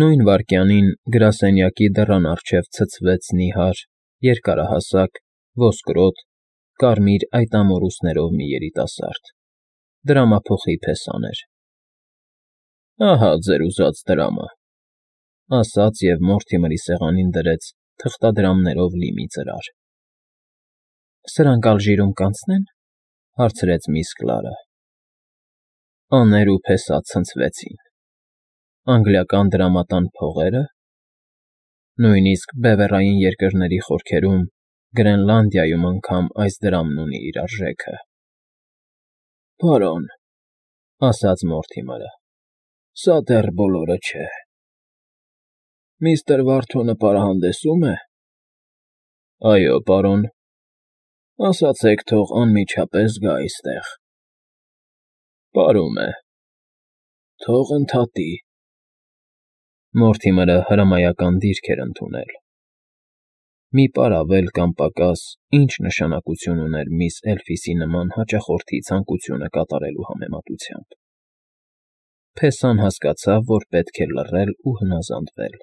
Նույն վայրկյանին գրասենյակի դռան առջև ցցվեց նիհար, երկարահասակ, ոսկրոտ, կարմիր այտամորուսներով մի երիտասարդ. դրամափոխի փեսան էր։ ֊ Ահա ձեր ուզած դրամը, ֊ ասաց և Մորթիմերի սեղանին դրեց թղթադրամներով լի մի ծրար։ ֊ Սրանք Ալժիրում կանցնե՞ն,֊ հարցրեց միս Կլարը։ Աներ ու փեսա ցնցվեցին։ Անգլիական դրամատան փողե՞րը։ Նույնիսկ բևեռային երկրների խորքերում, Գրենլանդիայում անգամ այս դրամն ունի իր արժեքը։ ֊ Պարոն, ֊ ասաց Մորթիմերը, ֊ սա դեռ բոլորը չէ։ Միստր Վարթոնը պարահանդեսո՞ւմ է։ ֊ Այո, պարոն։ ֊ Ասացեք, թող անմիջապես գա այստեղ։ ֊ Պարում է։ ֊ Թող ընդհատի։ Մորթիմերը հրամայական դիրք էր ընդունել։ Մի պար ավել կամ պակաս ինչ նշանակություն ուներ միս Էլֆիսի նման հաճախորդի ցանկությունը կատարելու համեմատությամբ։ Փեսան հասկացավ, որ պետք է լռել ու հնազանդվել։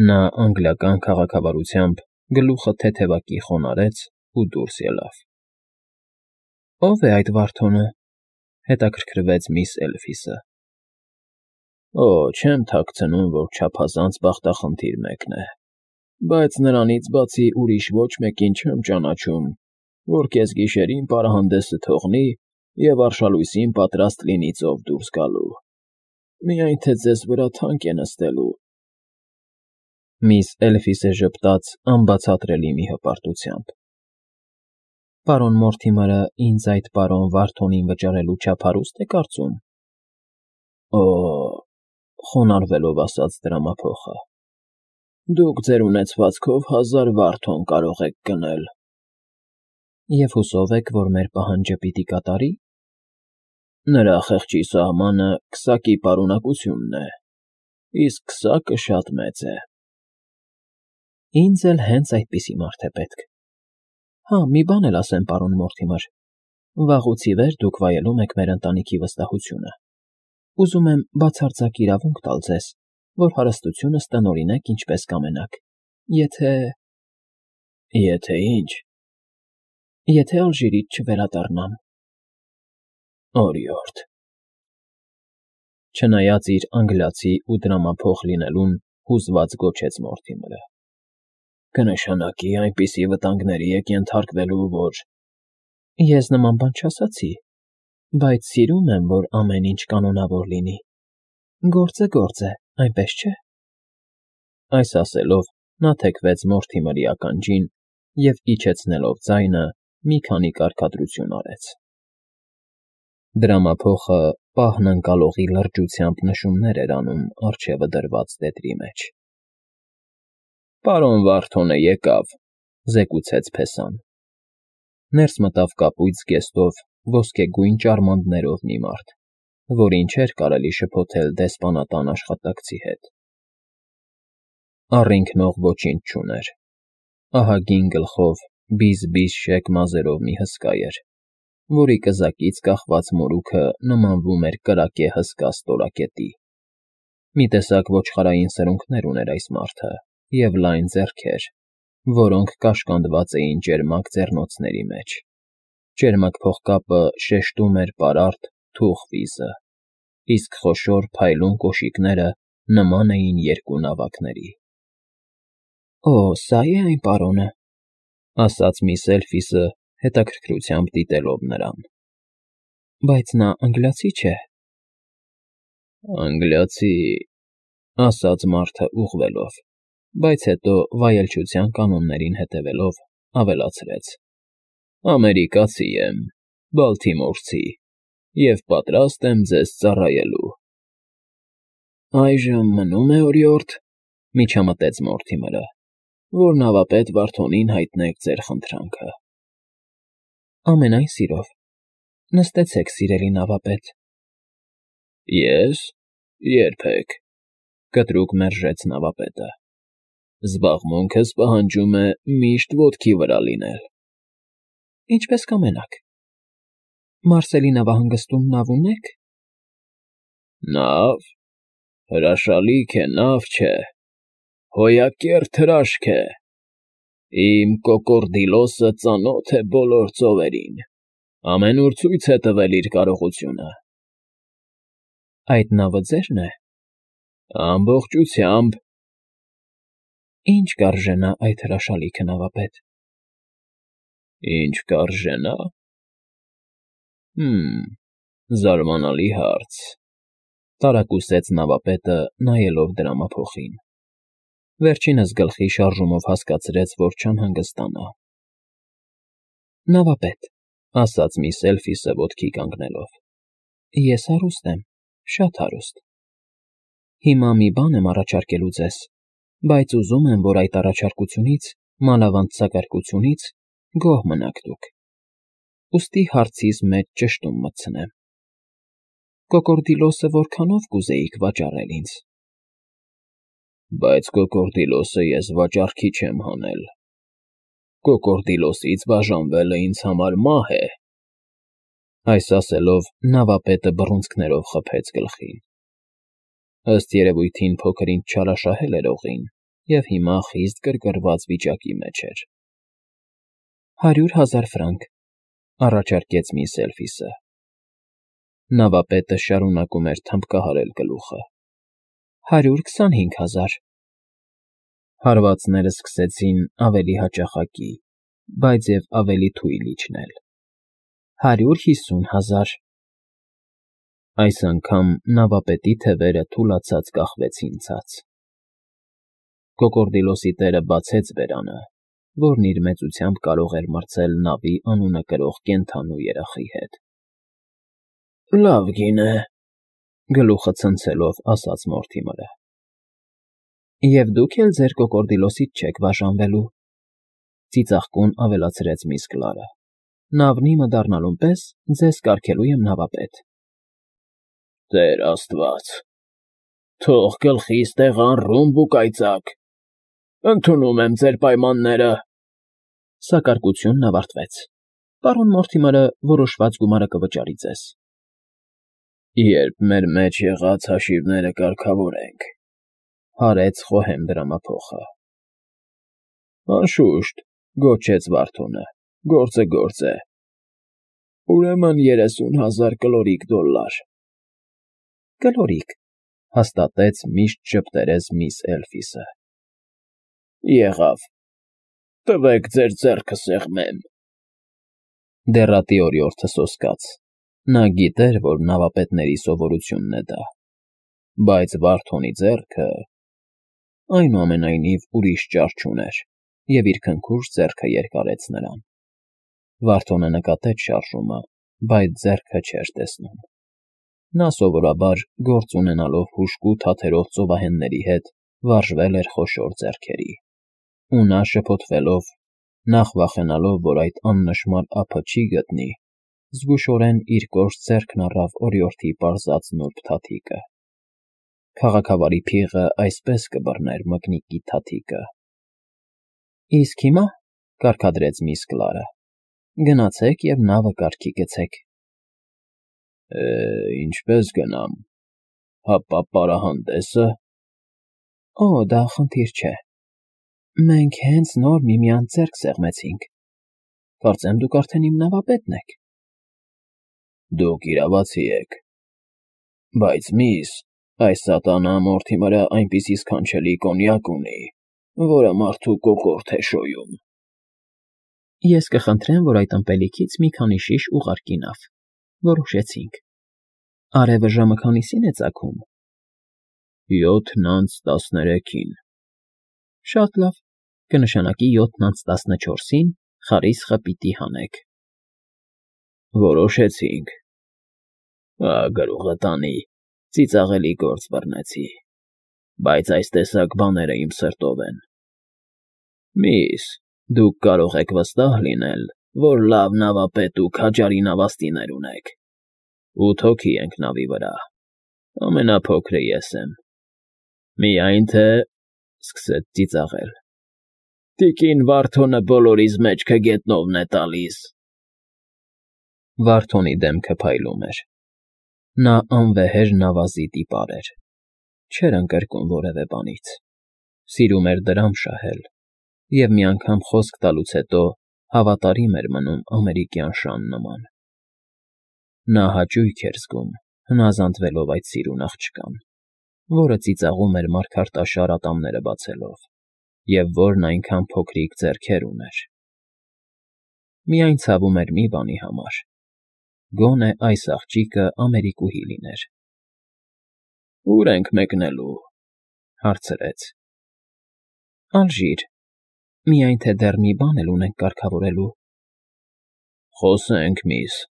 Նա անգլիական քաղաքավարությամբ գլուխը թեթևակի խոնարհեց ու դուրս ելավ։ ֊ Ո՞վ է այդ Վարդոնը,֊ հետաքրքրվեց միս Էլֆիսը։ ֊ Օ, չեմ թաքցնում, որ չափազանց բախտախնդիր մեկն է, բայց նրանից բացի ուրիշ ոչ մեկին չեմ ճանաչում, որ կեսգիշերին պարահանդեսը թողնի և արշալույսին պատրաստ լինի ծով դուրս գալու, միայն թե ձեզ վրա թանկ է նստելու։ Միս Էլֆիսը ժպտաց անբացատրելի մի հպարտությամբ։ ֊ Պարոն Մորթիմերը ինձ այդ պարոն Վարդոնին վճարելու չափ հարուստ է կարծում։ ֊ Օ,֊ խոնարհվելով ասաց դրամափոխը,֊ դուք ձեր ունեցվածքով 1000 Վարդոն կարող եք գնել։ ֊ Եվ հուսով եք, որ մեր պահանջը պիտի կատարի։ ֊ Նրա խեղճի սահմանը քսակի պարունակությունն է, իսկ քսակը շատ մեծ է։ ֊ Ինձ էլ հենց այդպիսի մարդ է պետք։ Հա, մի բան էլ ասեմ, պարոն Մորթիմեր, վաղուց ի վեր դուք վայելում եք մեր ընտանիքի վստահությունը։ Ուզում եմ բացարձակ իրավունք տալ ձեզ, որ հարստությունս տնօրինեք ինչպես կամենաք, եթե… ֊ Եթե ինչ։ ֊ Եթե Ալժիրից չվերադառնամ։ ֊ Օրիորդ… Չնայած իր անգլիացի ու դրամափոխ լինելուն, հուզված գոչեց Մորթիմերը։ ֊ Կնշանակի այնպիսի վտանգների եք ենթարկվելու, որ… Ես նման բան չասացի, բայց սիրում եմ, որ ամեն ինչ կանոնավոր լինի։ Գործը գործ է, այնպես չէ։ Այս ասելով նա թեքվեց Մորթիմերի ականջին և, իջեցնելով ձայնը, մի քանի կարգադրություն արեց։ Դրամափոխը պահն ընկալողի լրջությամբ նշումներ էր անում առջևը դրված տետրի մեջ։ ֊ Պարոն Վարդոնը եկավ,֊ զեկուցեց փեսան։ Ներս մտավ կապույտ զգեստով, ոսկեգույն ճարմաններով մի մարդ, որին չէր կարելի շփոթել դեսպանատան աշխատակցի հետ։ Առինքնող ոչինչ չուներ։ Ահագին գլխով բիզ֊բիզ շեկ մազերով մի հսկա էր, որի կզակից կախված մորուքը նմանվում էր կրակե հսկա ստորակետի։ Մի տեսակ ոչխարային սրունքներ ուներ այս մարդը և լայն ձեռքեր, որոնք կաշկանդված էին ճերմակ ձեռնոցների մեջ։ Ճերմակ փողկապը շեշտում էր պարարտ, թուխ վիզը, իսկ խոշոր փայլուն կոշիկները նման էին երկու նավակների։ ֊ Օ, սա՞ է այն պարոնը,֊ ասաց միս Էլֆիսը, հետաքրքրությամբ դիտելով նրան։ ֊ Բայց նա անգլիացի չէ։ ֊ Անգլիացի,֊ ասաց մարդը ուղղվելով, բայց հետո, վայելչության կանոններին հետևելով, ավելացրեց. ամերիկացի եմ, Բալթիմորցի, և պատրաստ եմ ձեզ ծառայելու։ ֊ Այժմ մնում է, օրիորդ,֊ միջամտեց Մորթիմերը, որ նավապետ Վարդոնին հայտնեք ձեր խնդրանքը։ ֊ Ամենայն սիրով, նստեցեք, սիրելի նավապետ։ ֊ Ես… Երբեք,֊ կտրուկ մերժեց նավապետը։ Զբաղմունքս պահանջում է միշտ ոտքի վրա լինել։ ֊ Ինչպես կամենաք։ Մարսելի նավահանգստում նավ ունե՞ք։ ֊ Նավ… Հրաշալիք է, նավ չէ, հոյակերտ հրաշք է, իմ կոկորդիլոսը ծանոթ է բոլոր ծովերին, ամենուր ցույց է տվել իր կարողությունը։ Այդ նավը ձե՞րն է։ Ամբողջությամբ։ Ինչ կարժենա այդ հրաշալիքը, նավապետ։ Ինչ կարժենա։ Զարմանալի հարց, տարակուսեց նավապետը, նայելով դրամափոխին։ Վերջինս գլխի շարժումով հասկացրեց, որ չանհանգստանա։ Նավապետ, ասաց միս Էլֆիսը ոտքի կանգնելով, ես հարուստ եմ, շատ հարուստ։ Հիմա մի բան եմ առաջարկելու ձեզ, բայց ուզում եմ, որ այդ առաջարկությունից, մանավանդ գոհ մնաք դուք։ Ուստի հարցիս մեջ ճշտում մտցնեմ։ Կոկորդիլոսը որքանով կուզեիք վաճառել ինձ։ Բայց կոկորդիլոսը ես վաճառքի չեմ հանել։ Կոկորդիլոսից բաժանվելը ինձ համար մահ է։ Այս ասելով նավապետը բռունցքներով խփեց գլխին։ Ըստ երևույթին փոքր ինչ չարաշահել էր օղին և հիմա խիստ գրգռված վիճակի մեջ էր։ 100,000 ֆրանկ, առաջարկեց միս Էլֆիսը։ Նավապետը շարունակում էր թմբկահարել գլուխը։ 125,000։ Հարվածները սկսեցին ավելի հաճախակի, բայց և ավելի թույլ իջնել։ 150,000։ Այս անգամ նավապետի թևերը թուլացած կախվեցին ցած։ Կոկորդիլոսի տերը բացեց բերանը, որն իր մեծությամբ կարող էր մրցել նավի անունը կրող կենդանու երախի հետ։ Լավ գին է, գլուխը ցնցելով ասաց Մորթիմըրը։ Եվ դուք էլ ձեր կոկորդիլոսից չեք բաժանվելու, ծիծաղկուն ավելացրեց միս Կլարը։ Նավն իմը դառնալուն պես ձեզ կարգելու եմ նավապետ։ Տեր Աստված, թող գլխիս տեղան ռումբ ու կայծակ, ընդունում եմ ձեր պայմանները։ Սակարկությունն ավարտվեց։ Պարոն Մորթիմըրը որոշված գումարը կվճարի ձեզ։ Երբ մեր մեջ եղած հաշիվները կարգավորենք, հարեց խոհեմ դրամափոխը։ Անշուշտ, գոչեց Վարդոնը, գործը գործ է։ Ուրեմն 30,000 կլորիկ դոլլար։ Կլորիկ, հաստատեց միշտ ճպտերես միս Էլֆիսը։ Եղավ, տվեք ձեր ձեռքը սեղմեմ։ Դեռատի օրիորդը սոսկաց։ Նա գիտեր, որ նավապետների սովորությունն է դա։ Բայց Վարդոնի ձեռքը… Այնուամենայնիվ ուրիշ ճար չուներ և իր քնքուշ ձեռքը երկարեց նրան։ Վարդոնը նկատեց շարժումը, բայց ձեռքը չէր տեսնում։ Նա սովորաբար, գործ ունենալով հուժկու թաթերով ծովահենների հետ, վարժվել էր խոշոր ձեռքերի։ Ու նա շփոթվելով, նախ վախենալով, որ այդ աննշմար ափը չի գտնի, զգուշորեն իր կոշտ ձեռքն առավ օրիորդի պարզած նուրբ թաթիկը։ Քաղաքավարի փիղը այսպես կբռներ մկնիկի թաթիկը։ Իսկ հիմա, կարգադրեց միս Կլարը, գնացեք և նավը կարգի գցեք։ Ինչպես գնամ, հապա պարահանդեսը… Օ, դա խնդիր չէ։ Մենք հենց նոր միմյանց ձեռք սեղմեցինք։ Կարծեմ դուք արդեն իմ նավապետն եք։ Դուք իրավացի եք։ Բայց միս, այս սատանա Մորթիմըրը այնպիսի սքանչելի կոնյակ ունի, որը մարդու կոկորդ է շոյում։ Ես կխնդրեմ, որ այդ ըմպելիքից մի քանի շիշ ուղարկի նավ։ Որոշեցինք։ Արևը ժամը քանիսին է ծագում։ 7:13-ին։ Շատ լավ, կնշանակի 7:14-ին խարիսխը պիտի հանեք։ Որոշեցինք։ Գրուղը տանի, ծիծաղելի գործ բռնեցի, բայց այս տեսակ բաները իմ սրտով են։ Միս, դուք կարող եք վստահ լինել, որ լավ նավապետ ու քաջարի նավաստիներ ունեք։ 8 հոգի ենք նավի վրա, ամենափոքրը ես եմ։ Միայն թե… սկսեց ծիծաղել։ Տիկին Վարդոնը բոլորիս մեջքը գետնովն է տալիս։ Վարդոնի դեմքը փայլում էր։ Նա անվեհեր նավազի տիպար էր։ չէր ընկրկում որևէ բանից, սիրում էր դրամ շահել և մի անգամ խոսք տալուց հետո հավատարիմ էր մնում ամերիկյան շան նման։ Նա հաճույք էր զգում, հնազանդվելով այդ սիրուն աղջկան, որը ծիծաղում էր մարգարտաշար ատամները բացելով, և որն այնքան փոքրիկ ձեռքեր ուներ։ Միայն ցավում էր մի բանի համար. գոնե այս աղջիկը ամերիկուհի լիներ։ «Ո՞ւր ենք մեկնելու», հարցրեց։ «Ալժիր, միայն թե դեռ մի բան էլ ունենք կարգավորելու»։ «Խոսենք, միս»,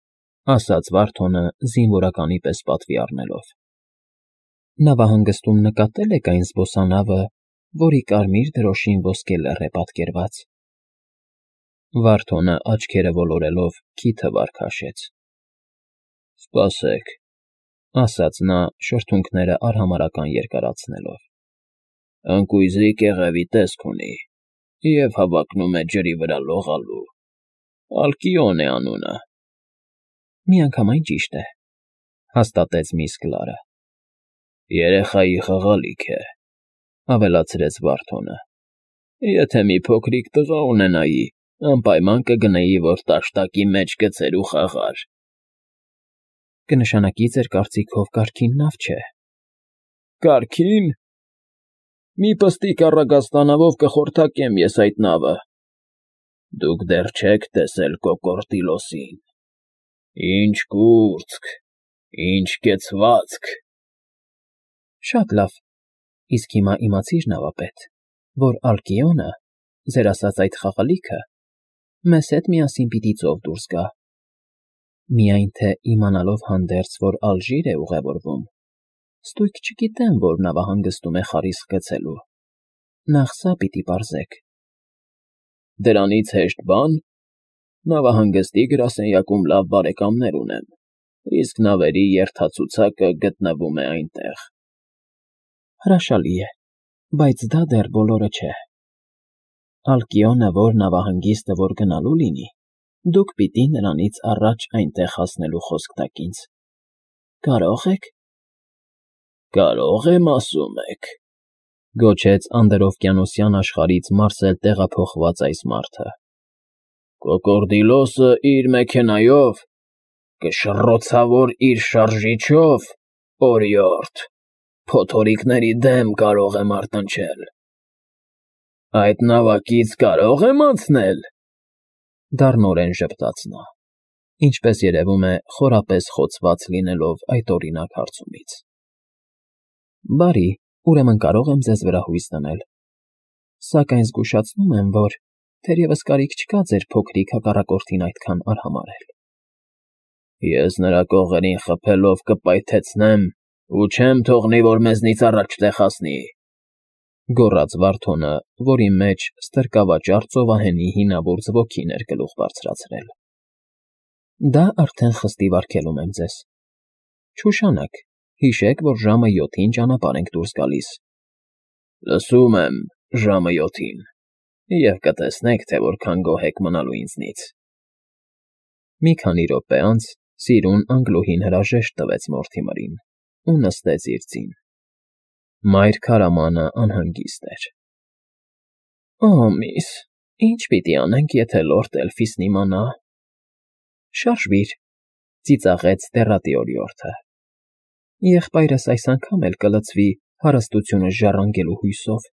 ասաց Վարդոնը զինվորականի պես պատվի առնելով։ «Նավահանգստում նկատե՞լ եք այն զբոսանավը, որի կարմիր դրոշին ոսկե լեռ է պատկերված»։ Վարդոնը աչքերը ոլորելով քիթը վար քաշեց։ «Սպասեք», ասաց նա շրթունքները արհամարհական երկարացնելով։ «Ընկույզի կեղևի տեսք ունի և հավակնում է ջրի վրա լողալու։ Ալկիոն է անունը»։ «Միանգամայն ճիշտ է», հաստատեց միս Կլարը։ «Երեխայի խաղալիք է», ավելացրեց Վարդոնը։ «Եթե մի փոքրիկ տղա ունենայի, անպայման կգնեի, որ տաշտակի մեջ գցեր ու խաղար»։ «Կնշանակի ձեր կարծիքով կարգին նավ չէ»։ «Կարգին։ Մի պստիկ առագաստանավով կխորթակեմ ես այդ նավը։ Դուք դեռ չեք տեսել Կոկորդիլոսին. ինչ կուրծք, ինչ կեցվածք»։ «Շատ լավ, իսկ հիմա իմացիր, նավապետ, որ Ալկիոնը, ձեր ասած այդ խաղալիքը, մեզ հետ միասին պիտի ծով դուրս գա։ Միայն թե իմանալով հանդերձ, որ Ալժիր է ուղևորվում, ստույգ չգիտեմ, որ նավահանգստում է խարիսկ գցելու։ Նախ սա պիտի պարզեք»։ «Դրանից հեշտ բան։ Նավահանգստի գրասենյակում լավ բարեկամներ ունեմ, իսկ նավերի երթացուցակը գտնվում է այնտեղ»։ «Հրաշալի է, բայց դա դեռ բոլորը չէ։ Ալկիոնը որ նավահանգիստը որ գնալու լինի, դուք պիտի նրանից առաջ այնտեղ հասնելու խոսք տաք ինձ։ Կարո՞ղ եք»։ «Կարող եմ, ասում եք», գոչեց անդրօվկիանոսյան աշխարհից մարսել տեղափոխված այս մարդը։ «Կոկորդիլոսը իր մեքենայով, կշռոցավոր իր շարժիչով, օրիորդ, փոթորիկների դեմ կարող է մարտնչել։ Այդ նավակից կարո՞ղ եմ անցնել»։ Դառնորեն ժպտաց նա, ինչպես երևում է, խորապես խոցված լինելով այդ օրինակ հարցումից։ «Բարի, ուրեմն կարող եմ ձեզ վրա հույս դնել։ Սակայն զգուշացնում եմ, որ թերևս կարիք չկա ձեր փոքրիկ հակառակորդին այդքան արհամարհել»։ «Ես նրա կողերին խփելով կպայթեցնեմ ու չեմ թողնի, որ մեզնից առաջ տեղ հասնի», գոռաց Վարդոնը, որի մեջ ստրկավաճառ ծովահենի հինավուրց ոգին էր գլուխ բարձրացրել։ «Դա արդեն խստիվ արգելում եմ ձեզ։ Չուշանաք, հիշեք, որ ժամը 7-ին ճանապարհ ենք դուրս գալիս»։ «Լսում եմ, ժամը 7-ին, և կտեսնեք, թե որքան գոհ եք մնալու ինձնից»։ Մի քանի րոպե անց սիրուն Անգլուհին հրաժեշտ տվեց Մորթիմերին ու նստեց իր ձին։ Մայր քարամանը անհանգիստ էր։ «Օ, միս, ինչ պիտի անենք, եթե լորդ Էլֆիսն իմանա»։ «Շարժվիր», ծիծաղեց դեռատի օրիորդը։ «Եղբայրս այս անգամ էլ կլցվի հարստությունս ժառանգելու հույսով»։